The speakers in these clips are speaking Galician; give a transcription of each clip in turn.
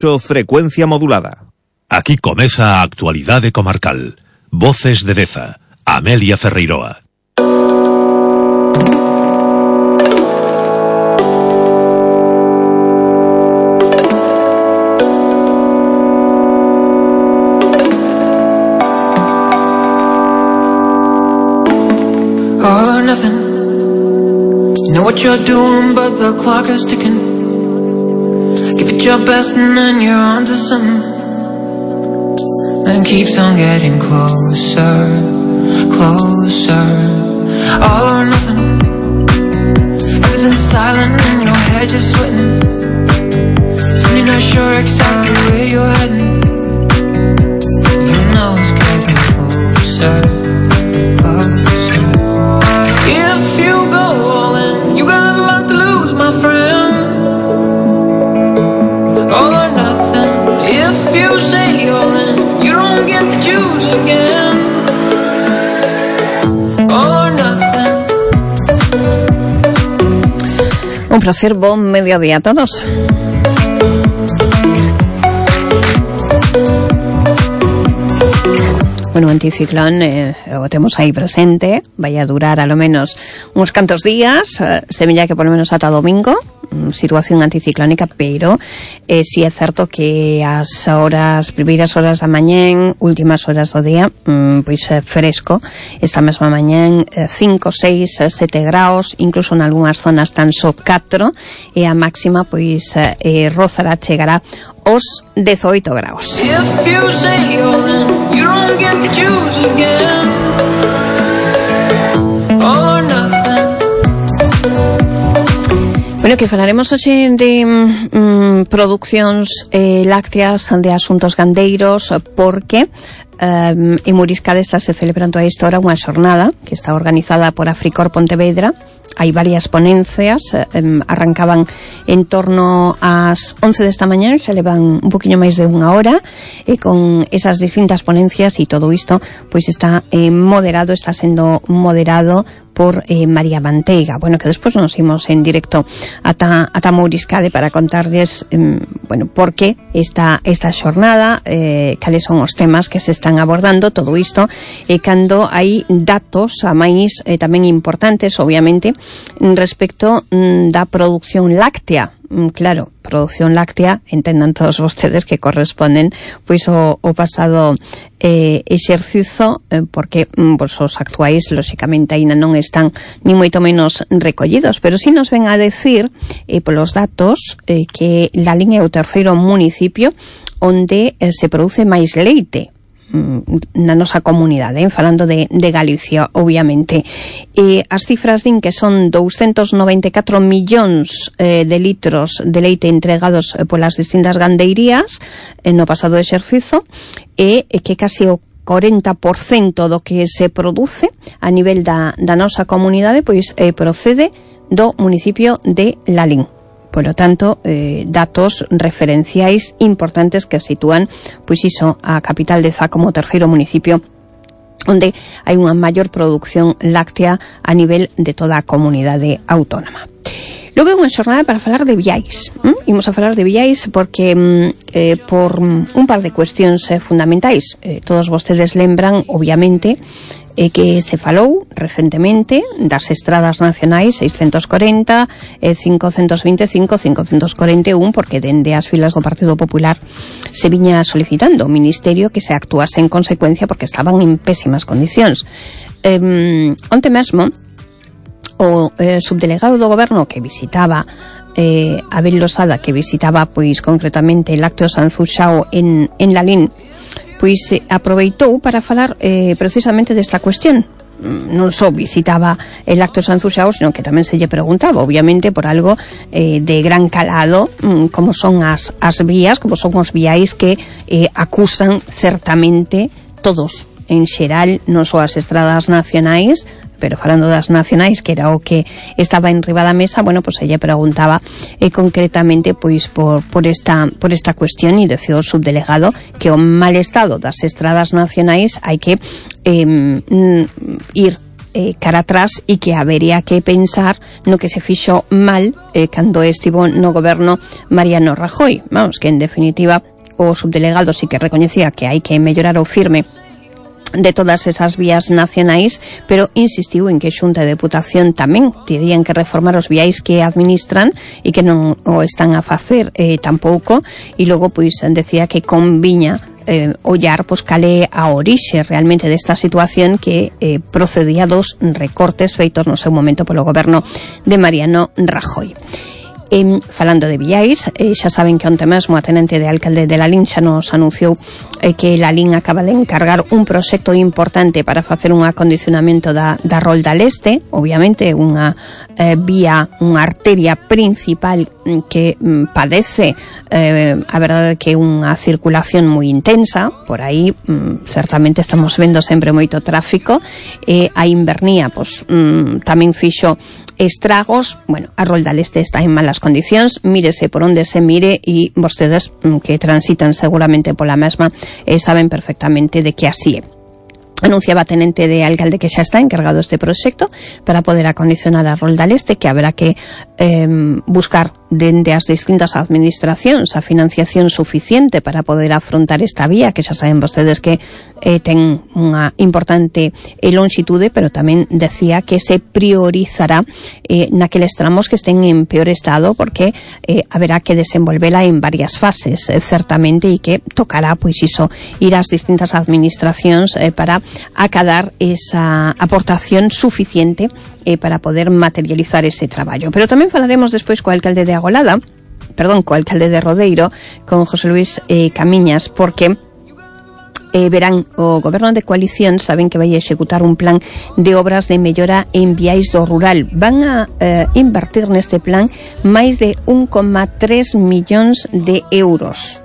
Frecuencia modulada. Aquí comeza a actualidade comarcal. Voces de Deza, Amelia Ferreiroa. All or nothing. You know what you're doing, but the clock is ticking. Give it your best and then you're on to something. And keeps on getting closer, closer. All or nothing. Everything's silent and your head just sweating. So you're not sure exactly where you're heading. You know it's getting closer, closer. If you go all in, you got a lot to lose, my friend. All or nothing. If you say all in, you don't get to choose again. All or nothing. Un placer, buen mediodía a todos. Bueno, anticiclón o temos aí presente, vai a durar a lo menos uns cantos días, semella que por lo menos ata domingo, situación anticiclónica, pero si é certo que as primeiras horas da mañén, últimas horas do día, pois fresco, esta mesma mañén 5, 6, 7 graus, incluso en algunhas zonas tan só 4, e a máxima pois rozará, chegará os 18 graus. Bueno, que falaremos hoxe de produccións lácteas, de asuntos gandeiros, porque en Muriscade está se celebrando a esta hora unha xornada que está organizada por Africor Pontevedra. Hai varias ponencias, arrancaban en torno ás 11 desta mañá, xa levan un poquinho máis de unha hora, e con esas distintas ponencias e todo isto, pois está sendo moderado por María Manteiga. Bueno, que despois nos imos en directo ata Mouriscade para contarles, por que esta xornada, cales son os temas que se están abordando, todo isto, e cando hai datos a máis tamén importantes, obviamente, respecto da produción láctea. Claro, produción láctea, entendan todos vostedes que corresponden pois o pasado exercizo, porque os actuais lóxicamente aínda non están ni moito menos recollidos, pero si nos ven a decir polos datos que Lalín é o terceiro municipio onde se produce máis leite na nosa comunidade, falando de Galicia, obviamente. As cifras din que son 294 millóns de litros de leite entregados polas distintas gandeirías no pasado exercizo, e que casi o 40% do que se produce a nivel da nosa comunidade pois procede do municipio de Lalín. Por lo tanto, datos referenciais importantes que sitúan, pois iso, a capital de Zá como terceiro municipio onde hai unha maior produción láctea a nivel de toda a comunidade autónoma. Logo é unha xornada para falar de viais. Imos a falar de viais porque por un par de cuestións fundamentais. Todos vostedes lembran, obviamente, que se falou recentemente das estradas nacionais 640, 525, 541, porque dende as filas do Partido Popular se viña solicitando ao Ministerio que se actuase en consecuencia porque estaban en pésimas condicións. Onte mesmo, o subdelegado do Goberno que visitaba Abel Losada, que visitaba pois concretamente Lácteos Anzuxao en Lalín, pois aproveitou para falar precisamente desta cuestión. Non só visitaba el Lácteos Anzuxao, sino que tamén se lle preguntaba, obviamente, por algo de gran calado, como son as vías, como son os viais que acusan certamente todos, en xeral, non só as estradas nacionais, pero falando das nacionais, que era o que estaba en riba da mesa, bueno, pois ella preguntaba concretamente pois por esta cuestión, e decía o subdelegado que o mal estado das estradas nacionais hai que ir cara atrás e que habería que pensar no que se fixo mal cando estivo no goberno Mariano Rajoy. Vamos, que en definitiva o subdelegado sí que recoñecía que hai que mellorar o firme de todas esas vías nacionais, pero insistiu en que Xunta de Deputación tamén terían que reformar os viais que administran e que non o están a facer tampouco, e logo pois decía que conviña ollar pois cal é a orixe realmente desta situación que procedía dos recortes feitos no seu momento polo goberno de Mariano Rajoy. Falando de viais, xa saben que onte mesmo a tenente de alcalde de Lalín xa nos anunciou que Lalín acaba de encargar un proxecto importante para facer un acondicionamento da Rolda Leste, obviamente unha vía, unha arteria principal que padece a verdade que unha circulación moi intensa, por aí certamente estamos vendo sempre moito tráfico, a invernía pois tamén fixo estragos. Bueno, a Rolda Leste está en malas condicións, mírese por onde se mire e vostedes que transitan seguramente pola mesma saben perfectamente de que así é. Anunciaba a tenente de alcalde que xa está encargado este proxecto para poder acondicionar a Rolda Leste, que haberá que buscar dende as distintas administracións a financiación suficiente para poder afrontar esta vía, que xa saben vostedes que ten unha importante longitude, pero tamén decía que se priorizará naqueles tramos que estén en peor estado, porque haberá que desenvolvela en varias fases, certamente, e que tocará, pois iso, ir ás distintas administracións para acadar esa aportación suficiente para poder materializar ese traballo. Pero tamén falaremos despois co alcalde de co alcalde de Rodeiro, con José Luis Camiñas, porque verán, o goberno de coalición saben que vai executar un plan de obras de mellora en viais do rural. Van a invertir neste plan máis de 1,3 millóns de euros.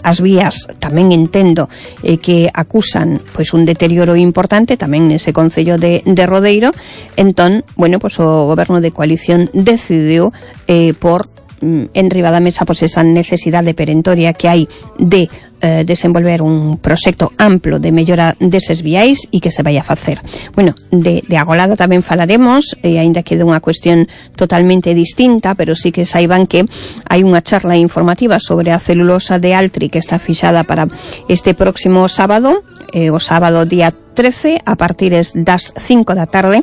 As vías tamén entendo que acusan pois un deterioro importante tamén nese concello de Rodeiro. Entón, bueno, pois o goberno de coalición decidiu por enriba da mesa pois esa necesidade perentoria que hai de desenvolver un proxecto amplo de mellora deses viais e que se vai a facer. Bueno, de Agolada tamén falaremos, aínda que de unha cuestión totalmente distinta, pero sí que saiban que hai unha charla informativa sobre a celulosa de Altri que está fixada para este próximo sábado, o sábado día 13, a partir das 5 da tarde.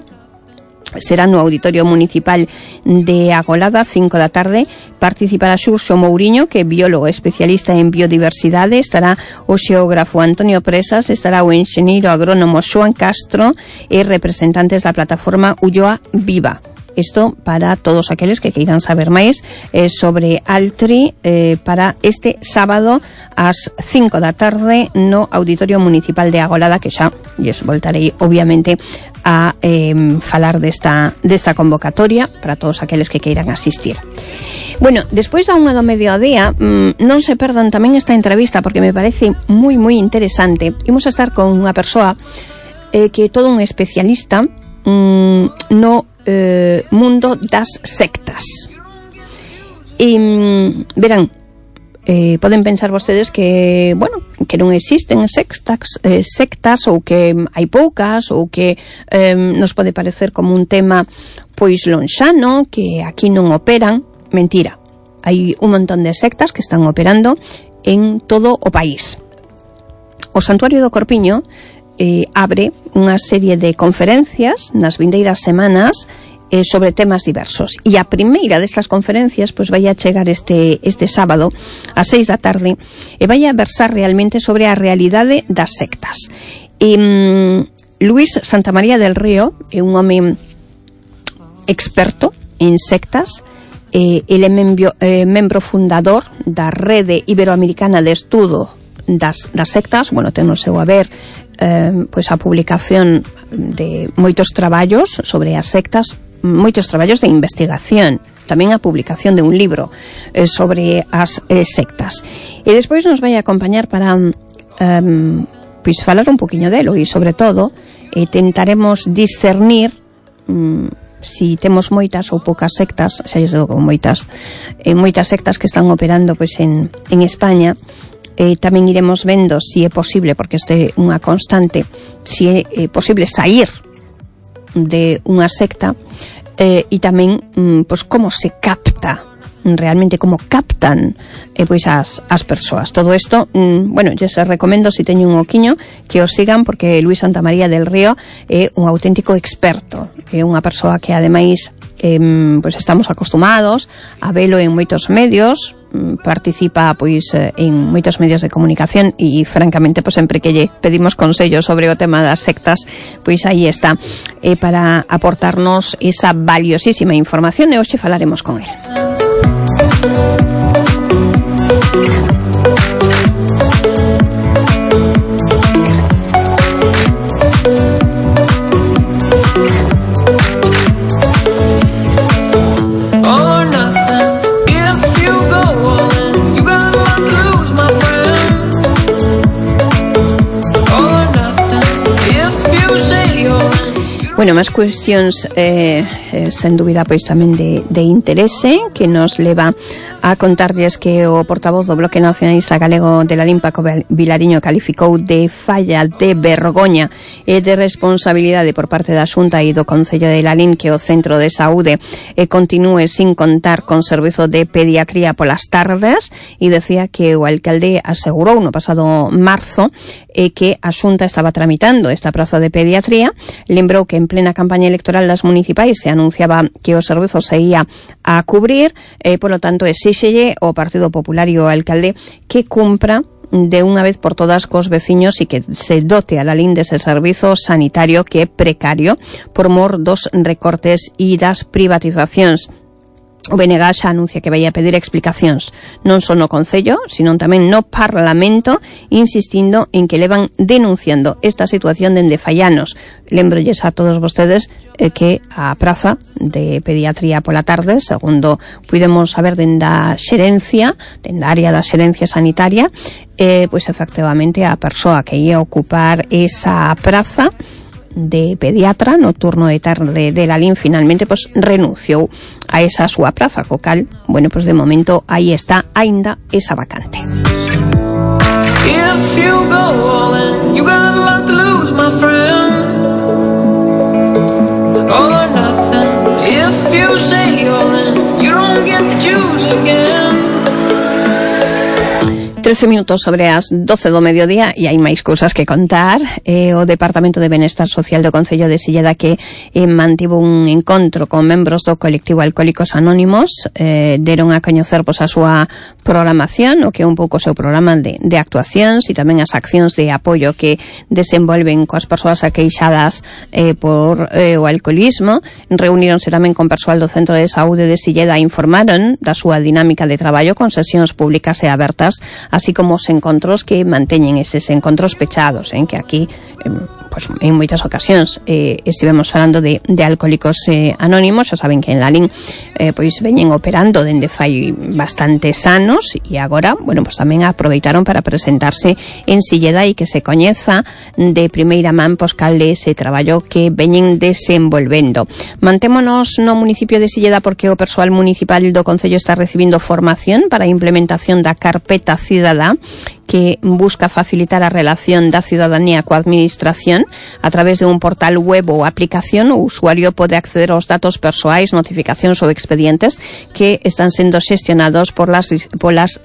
Será no Auditorio Municipal de Agolada, 5 da tarde. Participará Xurxo Mouriño, que é biólogo especialista en biodiversidade, estará o xeógrafo Antonio Presas, estará o enxeñeiro agrónomo Xoan Castro e representantes da plataforma Ulloa Viva. Isto para todos aqueles que queiran saber máis sobre Altri para este sábado ás 5 da tarde no Auditorio Municipal de Agolada, que xa lles voltarei obviamente a falar desta convocatoria para todos aqueles que queiran asistir. Bueno, despois da unha do mediodía, non se perdan tamén esta entrevista porque me parece moi moi interesante. Imos a estar con unha persoa que é todo un especialista no mundo das sectas. E verán, poden pensar vostedes que, bueno, que non existen sectas ou que hai poucas ou que nos pode parecer como un tema pois lonxano, que aquí non operan. Mentira, hai un montón de sectas que están operando en todo o país. O Santuario do Corpiño abre unha serie de conferencias nas vindeiras semanas sobre temas diversos. E a primeira destas conferencias pois vai a chegar este sábado ás 6 da tarde e vai a versar realmente sobre a realidade das sectas. Luis Santamaría del Río é un home experto en sectas. Ele é membro fundador da Rede Iberoamericana de Estudo das sectas. Bueno, ten no seu haber pois a publicación de moitos traballos sobre as sectas, moitos traballos de investigación, tamén a publicación de un libro sobre as sectas. E despois nos vai a acompañar para pois falar un poquinho delo e sobre todo tentaremos discernir si temos moitas ou poucas sectas, xa lles digo con moitas sectas que están operando pois en España. Tamén iremos vendo si é posible, porque este é unha constante, si é posible sair de unha secta, e tamén pois como se capta realmente, como captan pois as persoas. Todo isto, bueno, yo se recomendo, se teñen un oquiño, que os sigan, porque Luis Santamaría del Río é un auténtico experto, é unha persoa que ademais pois estamos acostumados a velo en moitos medios, participa pois en moitos medios de comunicación e francamente pois sempre que lle pedimos consellos sobre o tema das sectas, pois aí está para aportarnos esa valiosísima información, e hoxe falaremos con él. Bueno, máis cuestións sen dúbida pois tamén de interese, que nos leva a contarlles que o portavoz do Bloque Nacionalista Galego de Lalín, Paco Vilariño, calificou de falla, de vergoña e de responsabilidade por parte da Xunta e do Concello de Lalín que o Centro de Saúde continúe sin contar con servizo de pediatría polas tardes, e decía que o alcalde asegurou no pasado marzo que a Xunta estaba tramitando esta praza de pediatría. Lembrou que en plena campaña electoral das municipais se anunciaba que o servizo se ia a cubrir, polo tanto exíxelle o Partido Popular e o alcalde que cumpra de unha vez por todas cos veciños e que se dote a Lalín dese servizo sanitario que é precario por mor dos recortes e das privatizacións. O BNG xa anuncia que vai a pedir explicacións non só no Concello, sino tamén no Parlamento, insistindo en que levan denunciando esta situación dende fai anos. Lembrolles a todos vostedes que a praza de pediatría pola tarde, segundo puidemos saber denda xerencia, denda área da xerencia sanitaria, pois efectivamente a persoa que ia ocupar esa praza de pediatra no turno de tarde de Lalín finalmente pois renunciou a esa súa praza, co cal, bueno, pois de momento aí está aínda esa vacante. If you go all in, you got a lot to lose, my friend. All or nothing. If you say all in, you don't get to choose again. 13 minutos sobre as 12 do mediodía e hai máis cousas que contar. O Departamento de Benestar Social do Concello de Silleda que mantivo un encontro con membros do colectivo Alcohólicos Anónimos, deron a coñecer pois a súa programación, o que é un pouco o seu programa de actuacións e tamén as accións de apoio que desenvolven coas persoas aqueixadas por o alcoholismo. Reuníronse tamén con persoal do Centro de Saúde de Silleda e informaron da súa dinámica de traballo con sesións públicas e abertas, así como os encontros que manteñen eses encontros pechados, que aquí pues, en moitas ocasións estivemos falando de Alcohólicos Anónimos. Xa saben que en Lalín pois veñen operando dende fai bastantes anos e agora, bueno, pues tamén aproveitaron para presentarse en Silleda e que se coñeza de primeira man pois cal ese traballo que veñen desenvolvendo. Mantémonos no municipio de Silleda porque o persoal municipal do Concello está recibindo formación para a implementación da carpeta cidadá que busca facilitar a relación da ciudadanía coa administración a través de un portal web ou aplicación. O usuario pode acceder aos datos persoais, notificacións ou expedientes que están sendo xestionados polas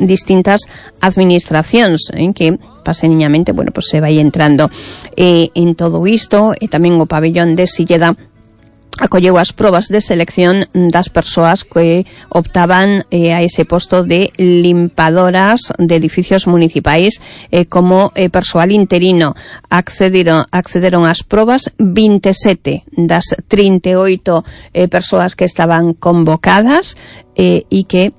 distintas administracións, que paseniñamente, bueno, pues se vai entrando en todo isto. E tamén o pabellón de Silleda acolleu as probas de selección das persoas que optaban a ese posto de limpiadoras de edificios municipais como persoal interino. Accederon ás probas 27 das 38 persoas que estaban convocadas e que,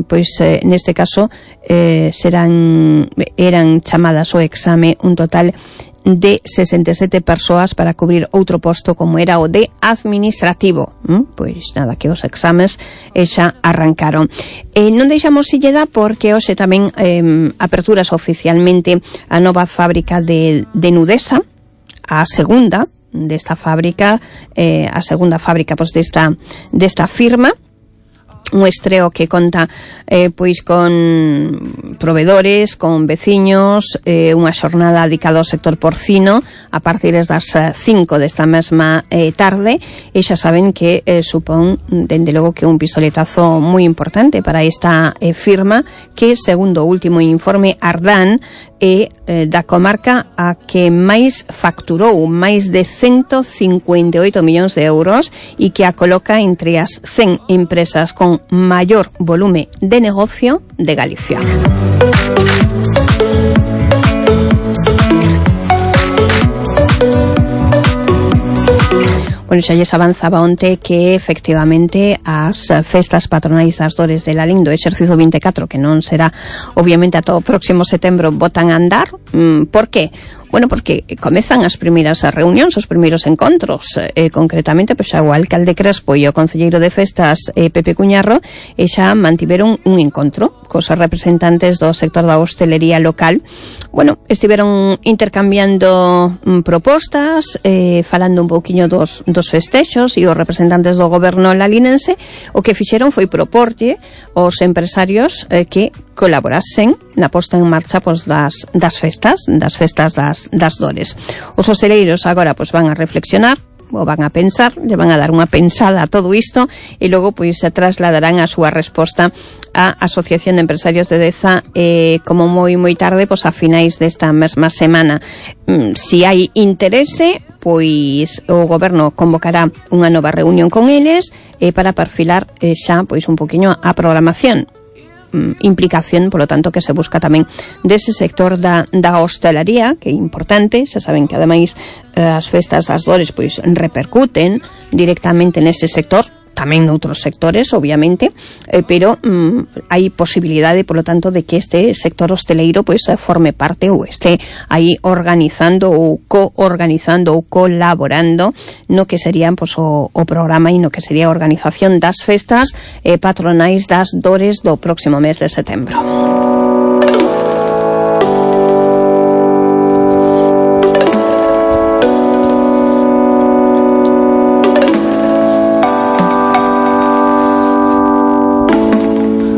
pois, neste caso eran chamadas ao exame un total de 67 persoas para cubrir outro posto como era o de administrativo. Pois nada, que os exames xa arrancaron. Non deixamos Silleda porque hoxe tamén aperturas oficialmente a nova fábrica de Nudesa, a segunda desta fábrica, a segunda fábrica pois desta firma. un estreo que conta pois con provedores, con veciños, unha xornada dedicada ao sector porcino a partir das 5 desta mesma tarde, e xa saben que supón, dende logo, que un pistoletazo moi importante para esta firma que, segundo o último informe Ardán, é da comarca a que máis facturou, máis de 158 millóns de euros, e que a coloca entre as 100 empresas con maior volume de negocio de Galicia. Bueno, xa lles avanzaba onte que efectivamente as festas patronais das dores de Lalín do exercicio 24, que non será obviamente a todo o próximo setembro, botan a andar. Por que? Bueno, porque comezan as primeiras reunións, os primeiros encontros, concretamente, pois xa o alcalde Crespo e o concelleiro de festas, Pepe Cuñarro, xa mantiveron un encontro cos representantes do sector da hostelería local. Bueno, estiveron intercambiando propostas, falando un pouquiño dos festexos, e os representantes do goberno lalinense o que fixeron foi proporlle aos empresarios que colaborasen na posta en marcha pois, das festas das dores. Os hosteleiros agora pois van a reflexionar, o van a pensar, lle van a dar unha pensada a todo isto, e logo pois se trasladarán a súa resposta á Asociación de Empresarios de Deza como moi tarde, pois a finais desta mesma semana. Si hai interese, pois o goberno convocará unha nova reunión con eles para perfilar xa pois un poquinho a programación. Implicación, polo tanto, que se busca tamén dese sector da hostelería, que é importante. Xa saben que ademais as festas das dores pois repercuten directamente nese sector, tamén noutros sectores, obviamente, pero hai posibilidade, polo tanto, de que este sector hosteleiro pois forme parte ou este aí organizando ou coorganizando ou colaborando no que serían pois o programa e no que sería a organización das festas patronais das dores do próximo mes de setembro.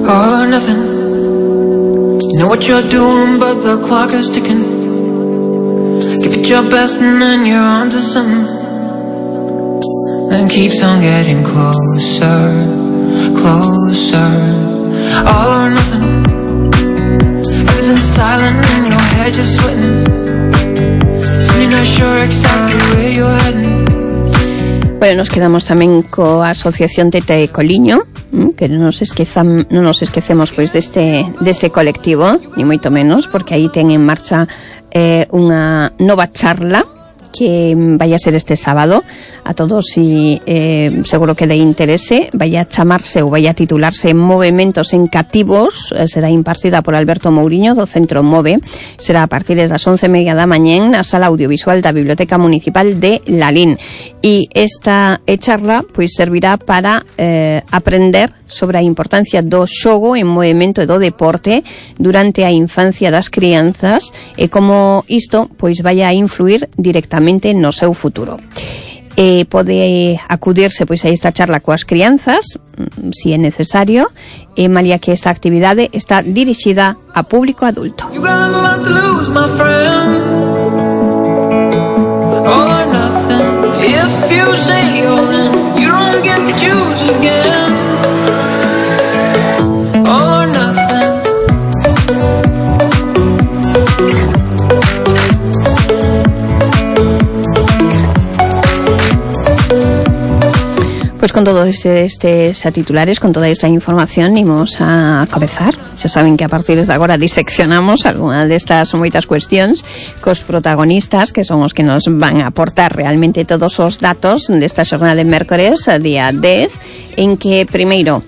All or nothing. You know what you're doing, but the clock is ticking. Give it your best and then you're on to something. Then keeps on getting closer, closer. All or nothing. Everything's silent in your head, you're sweating. So you're not sure exactly where you're heading. Bueno, nos quedamos tamén coa Asociación Tete Coliño, que non nos esquecemos pois deste colectivo, ni moito menos, porque aí ten en marcha unha nova charla que vai a ser este sábado. A todos, si seguro que de interese, vai a chamarse ou vai a titularse Movementos en Cativos. Será impartida por Alberto Mouriño do Centro Move. Será a partir das 11:30 da mañán na sala audiovisual da Biblioteca Municipal de Lalín. E esta charla pois servirá para aprender sobre a importancia do xogo en movimento e do deporte durante a infancia das crianzas e como isto pois vai a influir directamente no seu futuro. Pode acudirse pois a esta charla coas crianzas, si é necesario, malia que esta actividade está dirixida a público adulto. Pues con todos estes titulares, con toda esta información, imos a comezar. Xa saben que a partir de agora diseccionamos algunha destas moitas cuestións cos protagonistas, que son os que nos van a aportar realmente todos os datos desta xornada de mércores, día 10, en que primeiro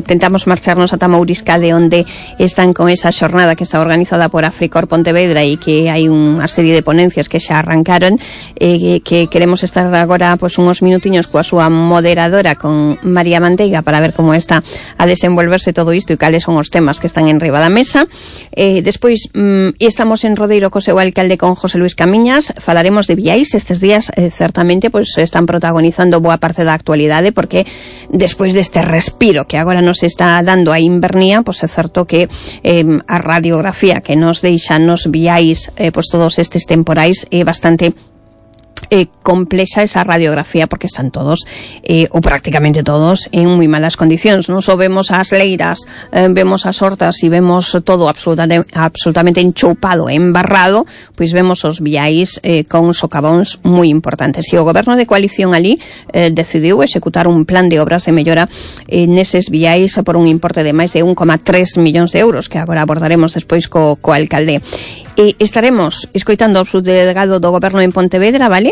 tentamos marcharnos ata Mouriscade, onde están con esa xornada que está organizada por Africor Pontevedra e que hai unha serie de ponencias que xa arrancaron, que queremos estar agora pues, uns minutiños coa súa moderadora, con María Manteiga, para ver como está a desenvolverse todo isto e cales son os temas temas que están en riba da mesa. Despois, estamos en Rodeiro co seu alcalde, con José Luis Camiñas. Falaremos de viais. Estes días, certamente, pois están protagonizando boa parte da actualidade, porque despois deste respiro que agora nos está dando a invernía, pois é certo que a radiografía que nos deixan nos viais, pois todos estes temporais, é bastante complexa esa radiografía, porque están todos, ou prácticamente todos, en moi malas condicións. Non só vemos as leiras, vemos as hortas e vemos todo absolutamente enchoupado, embarrado, pois vemos os viais con socavóns moi importantes. E o goberno de coalición ali decidiu executar un plan de obras de mellora neses viais por un importe de máis de 1,3 millóns de euros, que agora abordaremos despois co alcalde. Estaremos escoitando ao subdelegado do goberno en Pontevedra, vale?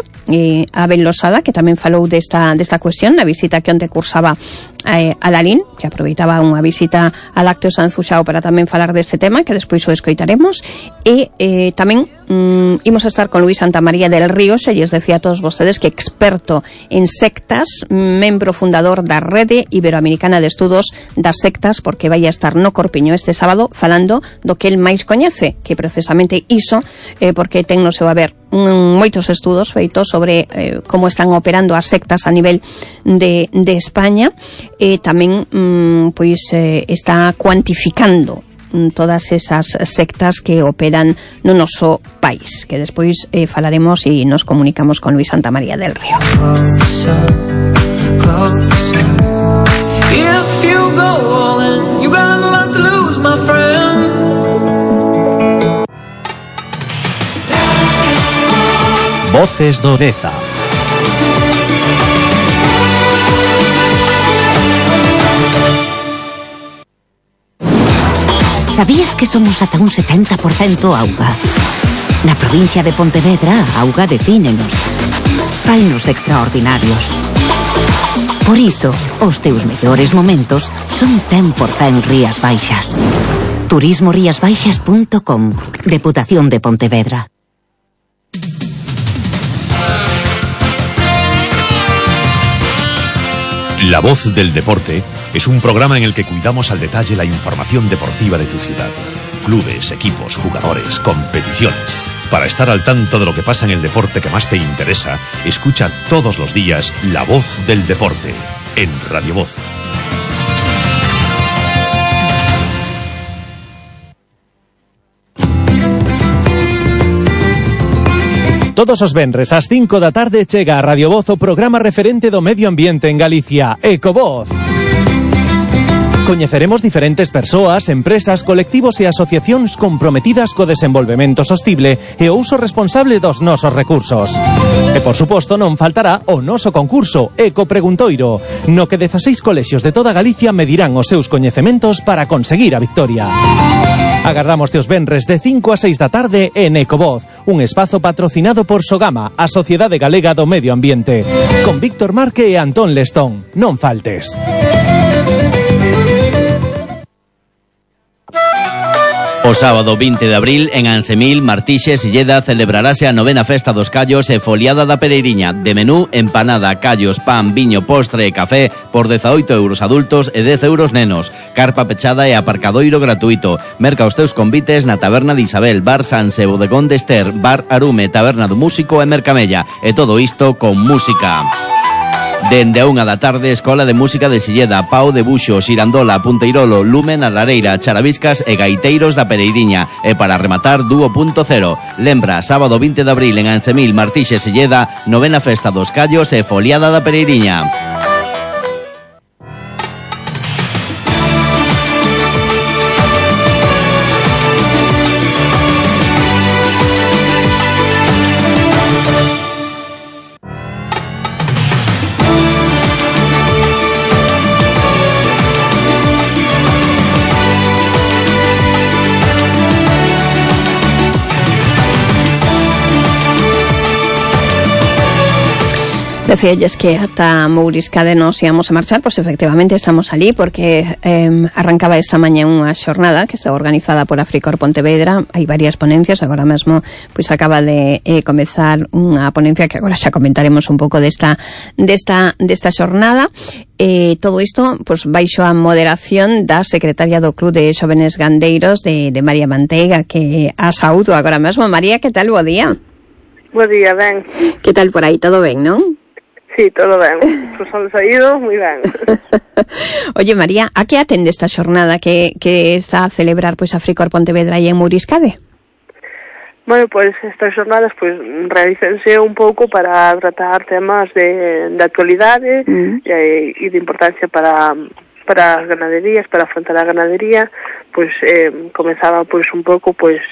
Abel Losada, que tamén falou desta cuestión na visita que onte cursaba a Lalín, que aproveitaba unha visita a Lácteo Sanzuxao para tamén falar deste tema, que despois o escoitaremos. E tamén imos a estar con Luis Santamaría del Río, se lles decía a todos vostedes que experto en sectas, membro fundador da Rede Iberoamericana de Estudos das Sectas, porque vai a estar no Corpiño este sábado falando do que el máis coñece, que precisamente iso, porque ten no seu haber moitos estudos feitos sobre como están operando as sectas a nivel de España, e tamén pois está cuantificando todas esas sectas que operan no noso país, que despois falaremos e nos comunicamos con Luis Santamaría del Río. Voces do Deza. Sabías que somos ata un 70% auga? Na provincia de Pontevedra, a auga defínenos. Fainos extraordinarios. Por iso, os teus mellores momentos son 100% Rías Baixas. turismoriasbaixas.com. Deputación de Pontevedra. La Voz del Deporte es un programa en el que cuidamos al detalle la información deportiva de tu ciudad. Clubes, equipos, jugadores, competiciones. Para estar al tanto de lo que pasa en el deporte que más te interesa, escucha todos los días La Voz del Deporte en Radio Voz. Todos os venres ás 5 da tarde chega a Radio Voz o programa referente do medio ambiente en Galicia, Ecovoz. Coñeceremos diferentes persoas, empresas, colectivos e asociacións comprometidas co desenvolvemento sostible e o uso responsable dos nosos recursos. E, por suposto, non faltará o noso concurso Eco Preguntoiro, no que 16 colexios de toda Galicia medirán os seus coñecementos para conseguir a victoria. Agardamos os venres de 5 a 6 da tarde en Ecovoz, un espazo patrocinado por Sogama, a Sociedade Galega do Medio Ambiente, con Víctor Marque e Antón Lestón. Non faltes. O sábado 20 de abril, en Ansemil, Martixes, Silleda, celebrarase a 9ª Festa dos Callos e Foliada da Pereiriña. De menú, empanada, callos, pan, viño, postre e café por 18 euros adultos e 10 euros nenos. Carpa pechada e aparcadoiro gratuito. Merca os teus convites na Taberna de Isabel, Bar Sanse, Bodegón de Ester, Bar Arume, Taberna do Músico e Mercamella. E todo isto con música. Dende a 1 da tarde, Escola de Música de Silleda, Pau de Buxo, Xirandola, Punteirolo, Lumen, a Lareira, Charaviscas e Gaiteiros da Pereiriña. E para rematar, Dúo Punto Cero. Lembra, sábado 20 de abril en Ansemil, Martixes, Silleda, 9ª Festa dos Callos e Foliada da Pereiriña. Decíalles que ata Mouriscade nos íamos a marchar, pois efectivamente estamos ali porque arrancaba esta mañá unha xornada que está organizada por Africor Pontevedra. Hai varias ponencias, agora mesmo pois acaba de comezar unha ponencia que agora xa comentaremos un pouco desta xornada. Todo isto pois baixo a moderación da secretaria do Club de Xóvenes Gandeiros de María Manteiga, que a saúdo agora mesmo. María, que tal? Bo día. Bo día, ben. Que tal por aí? Todo ben, non? Sí, todo ben. Pues son saído, moi ben. Oye, María, a que atende esta xornada que está a celebrar pois Africor Pontevedra e en Mouriscade? Bueno, pois estas xornadas pois realícense un pouco para tratar temas de actualidade e de importancia para as ganaderías, para afrontar a ganadería. Pois comezaba pois un pouco pois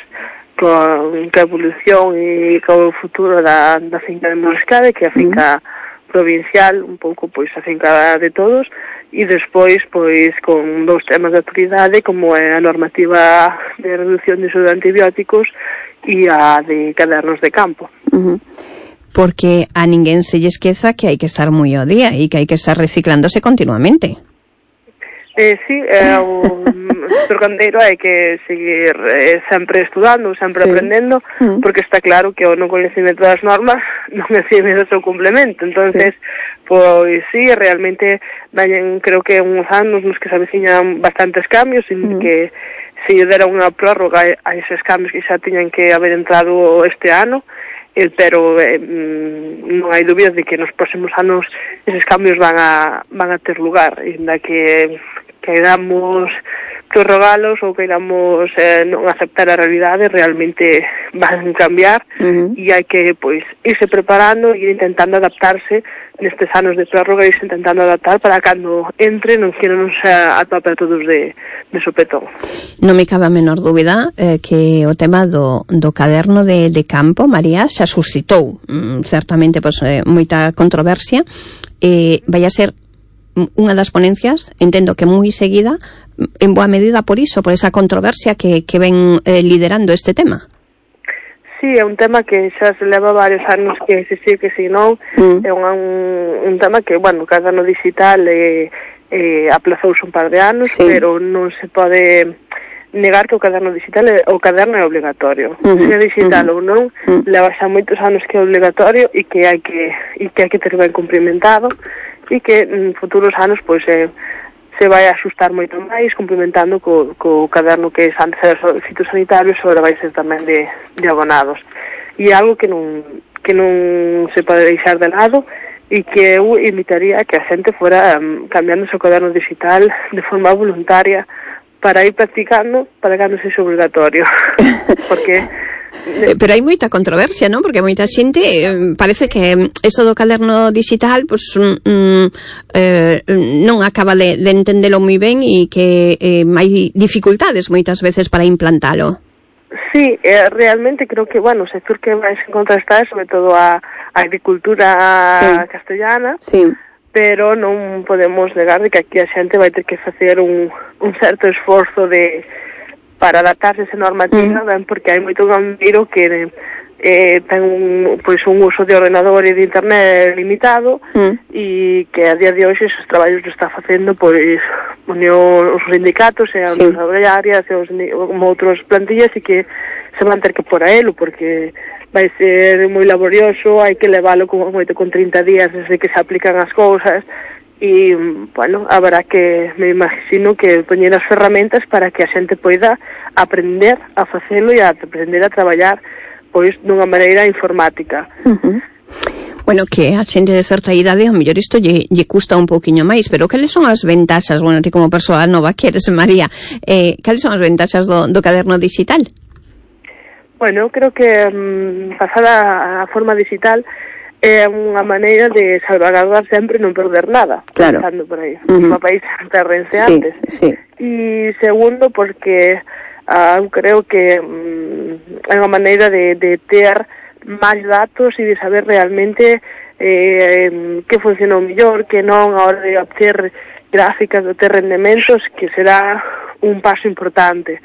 con a evolución e co futuro da finca de Mouriscade, que é a finca provincial, un pouco pois a finca de todos, e despois pois con dous temas de actualidade como é a normativa de reducción de uso de antibióticos e a de cadernos de campo. Porque a ninguén se lle esqueza que hai que estar moi ao día e que hai que estar reciclándose continuamente. Sí, o sector gandeiro hai que seguir sempre estudando, sempre aprendendo, porque está claro que o non coñecemento das normas non exime o seu complemento. Entonces, pois sí, realmente creo que uns anos nos que se aveciñan bastantes cambios, en que se lle dera unha prórroga a eses cambios que xa tiñan que haber entrado este ano, pero non hai dúbidas de que nos próximos anos eses cambios van a ter lugar, ainda que queiramos prorrogalos ou queiramos non aceptar a realidade, realmente van a cambiar e hai que pois irse preparando e ir intentando adaptarse nestes anos de prórroga, irse intentando adaptar para cando entre non que non se atope a todos de sopetón. Non me cabe a menor dúbida que o tema do caderno de campo, María, xa suscitou certamente pois moita controversia, vai a ser unha das ponencias, entendo que moi seguida, en boa medida por iso, por esa controversia que ven liderando este tema. Sí, é un tema que xa se leva varios anos que se sí, que si non, é un tema que, bueno, o caderno digital aplazouse un par de anos, pero non se pode negar que o caderno digital é obligatorio. Se é digital ou non, leva xa moitos anos que é obligatorio e que hai que ter ben cumprimentado, e que en futuros anos pois se vai a axustar moito máis, complementando co caderno que antes era fitosanitarios, agora vai ser tamén de abonados. E algo que non se pode deixar de lado e que eu invitaría a que a xente fora cambiando o seu caderno digital de forma voluntaria para ir practicando para que non sexa obligatorio. Porque pero hai moita controversia, non? Porque moita xente parece que eso do caderno digital pois non acaba de entendelo moi ben e que hai dificultades moitas veces para implantalo. Sí, realmente creo que, bueno, o sector que máis en contra está é sobre todo a agricultura castellana, pero non podemos negar de que aquí a xente vai ter que facer un certo esforzo para adaptarse a esa normativa, ben, porque hai moito gandeiro que ten un uso de ordenador e de internet limitado e que a día de hoxe esos traballos lo está facendo pois os sindicatos e as obrarias e como outros plantillas e que se van ter que por a elo porque vai ser moi laborioso, hai que leválo con 30 días desde que se aplican as cousas. E, bueno, habrá que, me imagino que poñer as ferramentas para que a xente poida aprender a facelo e a aprender a traballar pois dunha maneira informática. Bueno, que a xente de certa idade, ao mellor isto lle custa un pouquiño máis, pero cales son as ventaxas, bueno, ti como persoa nova que eres, María, cales son as ventaxas do caderno digital? Bueno, creo que pasar a forma digital é unha maneira de salvaguardar sempre non perder nada. Claro. Pensando por aí. Os papéis perrense antes. E segundo, porque eu creo que é unha maneira de ter máis datos e de saber realmente que funcionou mellor, que non a hora de obter gráficas, de ter rendementos, que será un paso importante.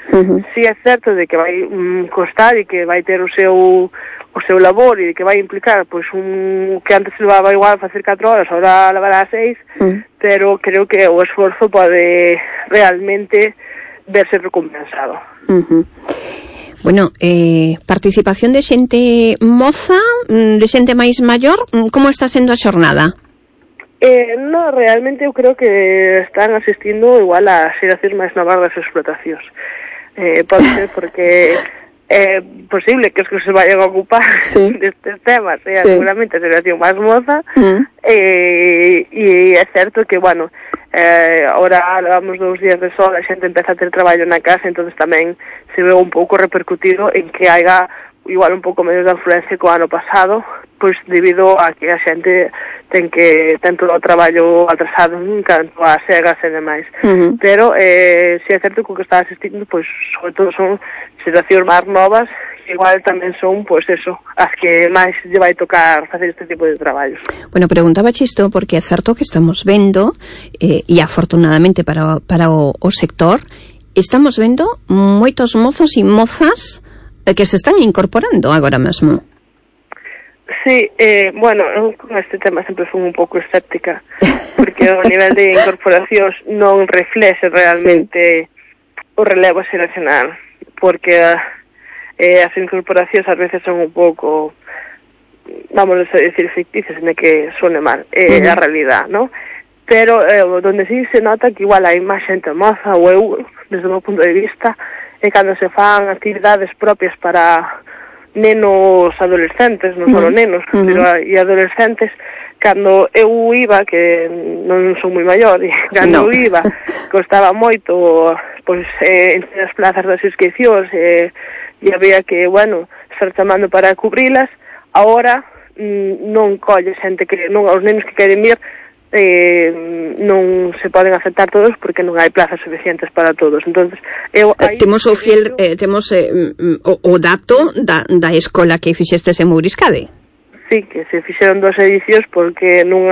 Si é certo de que vai costar e que vai ter o seu labor e que vai implicar pois que antes se levaba igual facer 4 horas, ahora levará 6, pero creo que o esforzo pode realmente verse recompensado. Bueno, participación de xente moza, de xente máis maior, como está sendo a xornada? No, realmente eu creo que están asistindo igual a xeracións máis novas das explotacións. Pode ser porque é posible que os que se vayan a ocupar destes temas seguramente a xeración máis moza, e é certo que, bueno, ahora levamos 2 días de sol, a xente empeza a ter traballo na casa, entonces tamén se ve un pouco repercutido en que haiga igual un pouco menos de influencia co ano pasado, pois debido a que a xente ten todo o traballo atrasado en canto a segas e demais. Pero se é certo que o que está asistindo, pois sobre todo son xeracións máis novas, que igual tamén son, pois eso, as que máis lle vai tocar facer este tipo de traballos. Bueno, preguntaba isto porque é certo que estamos vendo, e afortunadamente para o sector, estamos vendo moitos mozos e mozas que se están incorporando agora mesmo. Sí, bueno, eu con este tema sempre fui un pouco escéptica, porque o nivel de incorporacións non reflexe realmente o relevo xeracional, porque as incorporacións ás veces son un pouco, vamos a decir, ficticias, en que suene mal, a realidad, ¿no? Pero donde sí se nota que igual hai máis xente moza, ou eu, desde o meu punto de vista, é cando se fan actividades propias para nenos adolescentes, non só nenos, pero e adolescentes. Cando eu iba, que non son moi maior, e cando eu iba, costaba moito, pois, entre as plazas das inscripcións, e había que, bueno, estar chamando para cubrilas. Ahora non colle xente que, non, os nenos que queren vir, non se poden aceptar todos porque non hai plazas suficientes para todos. Entonces, temos o fiel, temos o dato da escola que fixestes en Mouriscade. Sí, que se fixeron 2 edicións porque non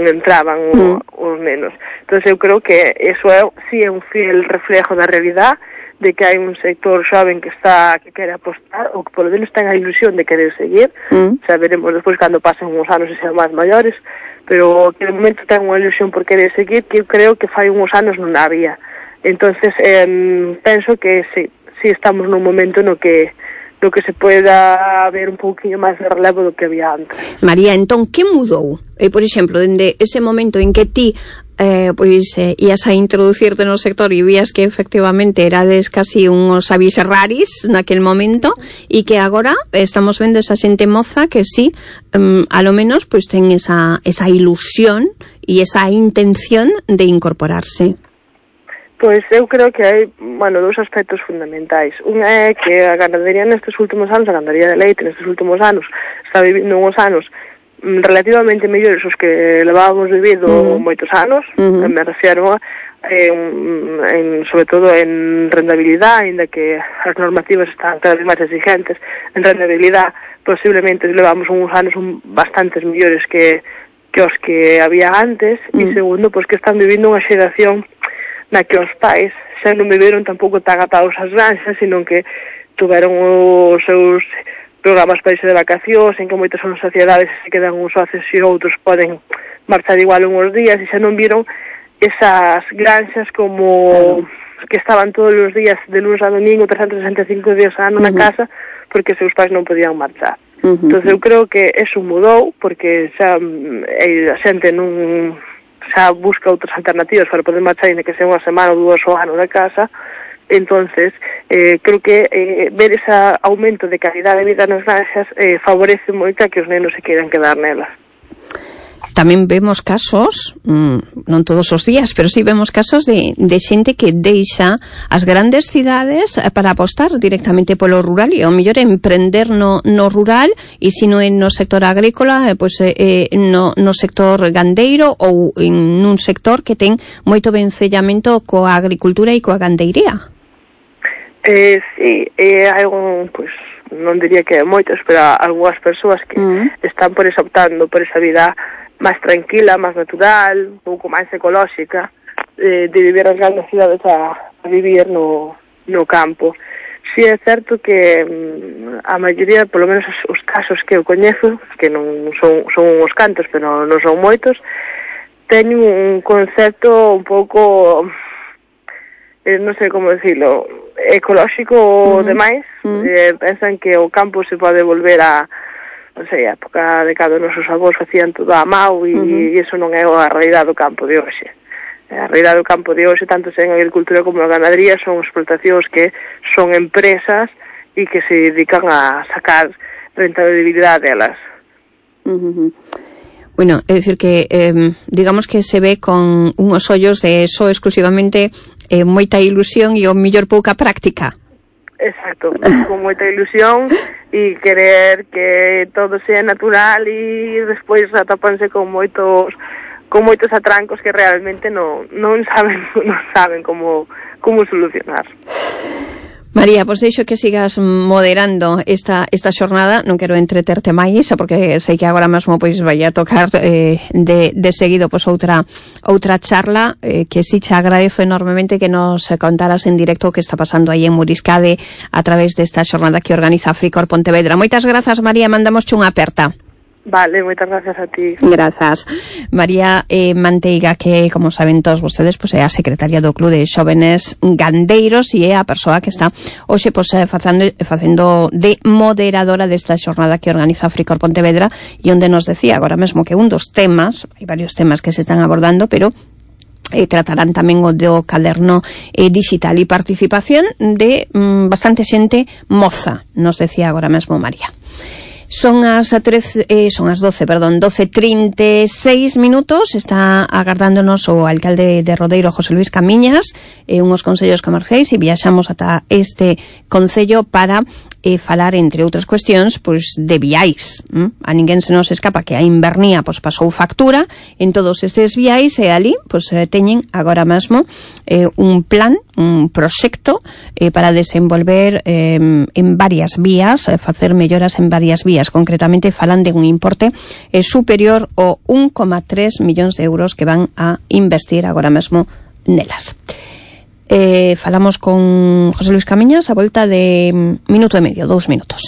entraban os nenos. Entonces eu creo que eso sí é un fiel reflejo da realidad, de que hai un sector xoven que quere apostar, ou que polo menos ten a ilusión de querer seguir. Xa veremos despois cando pasen uns anos e sean máis maiores, pero que de momento ten unha ilusión por querer seguir, que eu creo que fai uns anos non había. Entonces penso que sí estamos nun momento no que se poida ver un pouquinho máis de relevo do que había antes. María, entón, que mudou? Por exemplo, dende ese momento en que ti ias a introducirte no sector e vías que efectivamente erades casi uns avis raris naquel momento, e que agora estamos vendo esa xente moza que sí, a lo menos pois ten esa ilusión e esa intención de incorporarse. Pois eu creo que hai, bueno, 2 aspectos fundamentais. Unha é que a ganadería nestes últimos anos, a ganadería de leite nestes últimos anos, está vivindo uns anos relativamente mellores os que levábamos vivido moitos anos, me refiero sobre todo en rentabilidade, ainda que as normativas están cada vez máis exigentes, en rentabilidade posiblemente levamos uns anos bastantes mellores que os que había antes, e segundo, pois que están vivindo unha xeración na que os pais xa non viveron tampouco tan atados ás granxas, sino que tuveron os seus programas para irse de vacacións, en que moitas son sociedades se quedan uns socios e outros poden marchar igual uns días, e xa non viron esas granxas como que estaban todos os días de lunes a domingo, 365 días a ano na casa, porque seus pais non podían marchar. Entón eu creo que eso mudou, porque xa a xente non xa busca outras alternativas para poder marchar, ainda que sea unha semana ou 2 ao ano da casa. Entonces, creo que ver ese aumento de calidad de vida nas granxas favorece moito a que os nenos se queiran quedar nelas. Tamén vemos casos, non todos os días, pero sí vemos casos de xente que deixa as grandes cidades para apostar directamente polo rural e ao mellor emprender no rural, e se non no sector agrícola, no sector gandeiro ou en un sector que ten moito vencellamento coa agricultura e coa gandeiría. Sí, hai pois, non diría que moitas, pero algunhas persoas que están optando por esa vida máis tranquila, máis natural, un pouco máis ecolóxica, de vivir as grandes cidades a vivir no campo. Si é certo que a maioría, polo menos os casos que eu coñezo, que non son uns cantos, pero non son moitos, teñen un concepto un pouco, non sei como decirlo, ecolóxico demais. Pensan que o campo se pode volver a, non sei, a época de cando nosos avós facían todo a mao e iso non é a realidade do campo de hoxe. A realidade do campo de hoxe, tanto en agricultura como na ganadería, son explotacións que son empresas e que se dedican a sacar rentabilidade delas. Bueno, é dicir que digamos que se ve con unhos ollos de só exclusivamente moita ilusión e o mellor pouca práctica. Exacto, con moita ilusión e querer que todo sea natural e despois atópanse con moitos atrancos que realmente non saben como solucionar. María, pois deixo que sigas moderando esta xornada, non quero entreterte máis, porque sei que agora mesmo pois vai a tocar de seguido pois outra charla, que si te agradezo enormemente que nos contaras en directo o que está pasando aí en Muriscade a través desta xornada que organiza Fricor Pontevedra. Moitas grazas, María, mandamosche unha aperta. Vale, moitas gracias a ti. Grazas. María Manteiga, que, como saben todos vostedes, pois é a secretaria do Club de Xóvenes Gandeiros e é a persoa que está hoxe pois facendo de moderadora desta xornada que organiza Fricor Pontevedra e onde nos decía agora mesmo que un dos temas, hai varios temas que se están abordando, pero tratarán tamén o do caderno digital e participación de bastante xente moza, nos decía agora mesmo María. Son as 12:36 minutos. Está agardándonos o alcalde de Rodeiro, José Luis Camiñas, unhos consellos comerciais, e viaxamos ata este concello para falar, entre outras cuestións, pois de viais. A ninguén se nos escapa que a Invernía pois pasou factura en todos estes viais e ali pois teñen agora mesmo un plan, un proxecto para desenvolver en varias vías, facer melloras en varias vías. Concretamente falan de un importe superior ao 1,3 millóns de euros que van a investir agora mesmo nelas. Falamos con José Luis Camiñas a volta de minuto e medio, 2 minutos.